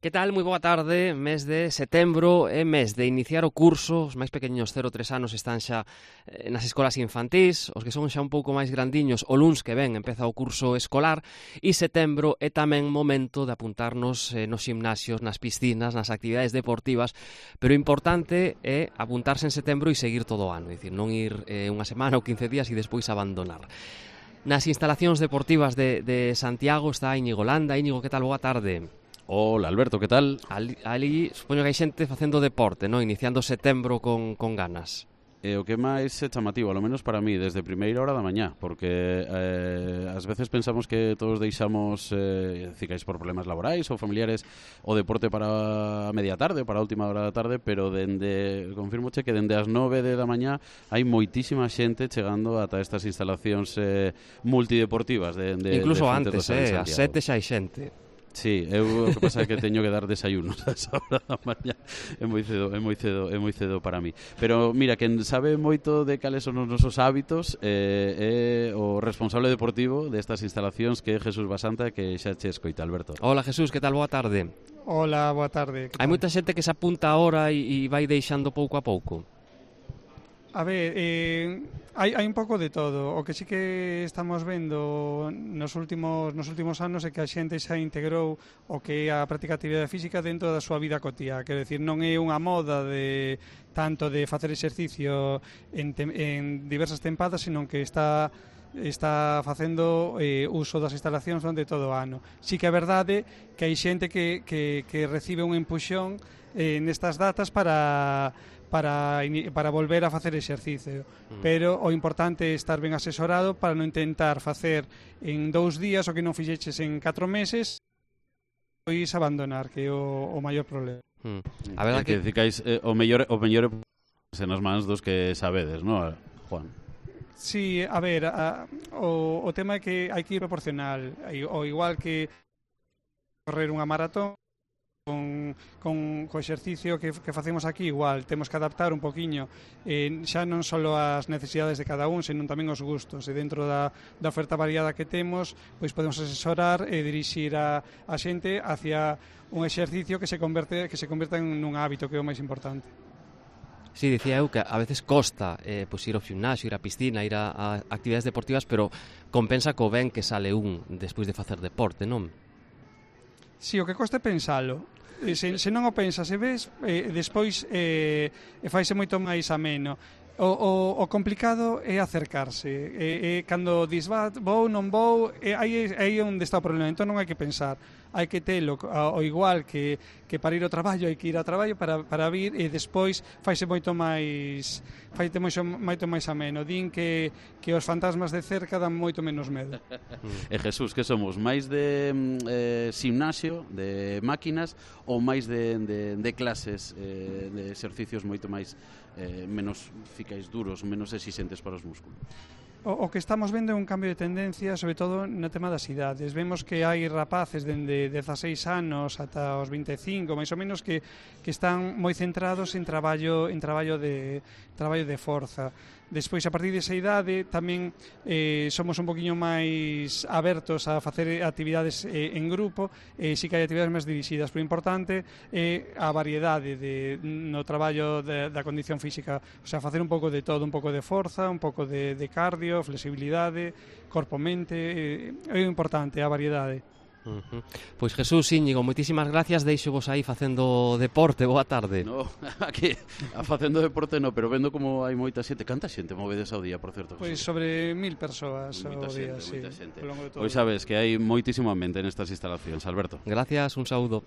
Que tal? Moi boa tarde, mes de setembro, é mes de iniciar o curso. Os máis pequeños 0-3 anos están xa nas escolas infantís, os que son xa un pouco máis grandiños, o luns que ven empeza o curso escolar, e setembro é tamén momento de apuntarnos nos gimnasios, nas piscinas, nas actividades deportivas, pero o importante é apuntarse en setembro e seguir todo o ano, é dicir, non ir unha semana ou 15 días e despois abandonar. Nas instalacións deportivas de Santiago está Íñigo Landa. Íñigo, que tal? Boa tarde. Hola, Alberto, que tal? Ali supoño que hai xente facendo deporte, non? Iniciando setembro con ganas. O que máis é chamativo, ao menos para mí, desde primeira hora da mañá, porque ás veces pensamos que todos deixamos, cicais por problemas laborais ou familiares, o deporte para a media tarde, para a última hora da tarde, pero confirmoche que dende as 9 da mañá hai moitísima xente chegando ata estas instalacións multideportivas incluso de antes, ás 7 xa hai xente. Sí, o que pasa é que teño que dar desayunos a esa hora da mañá. É moi cedo para mí. Pero mira, quen sabe moito de cales son os nosos hábitos é o responsable deportivo destas instalacións, que é Jesús Basanta, que xa che escoita, Alberto. Hola, Jesús, que tal? Boa tarde. Hola, boa tarde. Hai moita xente que se apunta ahora e vai deixando pouco a pouco. A ver, hai un pouco de todo. O que sí que estamos vendo nos últimos anos é que a xente xa integrou o que é a práctica de actividade física dentro da súa vida cotiá. Quero dicir, non é unha moda de tanto de facer exercicio en diversas tempadas, senón que está facendo uso das instalacións durante todo o ano. Sí que é verdade que hai xente que recibe un empuxón nestas datas para volver a facer exercicio, pero o importante é estar ben asesorado para non intentar facer en 2 días o que non fixeches en 4 meses e abandonar, que é o maior problema. A verdade que dicais o mellor é nas mans dos que sabedes, non, Juan? Sí, a ver, o tema é que hai que ir proporcional, o igual que correr unha maratón con exercicio que facemos aquí, igual temos que adaptar un poquiño xa non só as necesidades de cada un, senón tamén os gustos, e dentro da oferta variada que temos, pois podemos asesorar e dirixir a xente hacia un exercicio que se converta en un hábito, que é o máis importante. Sí, dicía eu que a veces costa pois ir ao gimnasio, ir á piscina, ir a actividades deportivas, pero compensa co ben que sale un despois de facer deporte, non? Si, o que costa é pensalo. Se non o pensas e ves, despois faise moito máis ameno. O complicado é acercarse. Cando dis, vou, non vou, aí é onde está o problema. Entón non hai que pensar. Hai que telo o igual que para ir ao traballo, hai que ir ao traballo para vir, e despois faise moito máis ameno. Din que os fantasmas de cerca dan moito menos medo. E Jesús, que somos? Máis de gimnasio, de máquinas, ou máis de clases de exercicios moito máis menos ficais duros, menos exixentes para os músculos? O que estamos vendo é un cambio de tendencia, sobre todo no tema das idades. Vemos que hai rapaces dende 16 anos ata os 25, máis ou menos, que están moi centrados en traballo de forza. Despois, a partir desa idade, tamén somos un poquinho máis abertos a facer actividades en grupo, si que hai actividades máis dirixidas, pero importante é a variedade no traballo da condición física, o sea, facer un pouco de todo, un pouco de forza, un pouco de cardio, flexibilidade, corpo-mente, é importante a variedade. Pois Jesús, Íñigo, moitísimas gracias. Deixo vos aí facendo deporte. Boa tarde. No, aquí facendo deporte no, pero vendo como hai moita xente. Canta xente movedes ao día, por certo? Pois sobre 1000 persoas ao día, sí. Pois sabes que hai moitísimo ambiente nestas instalacións, Alberto. Gracias, un saúdo.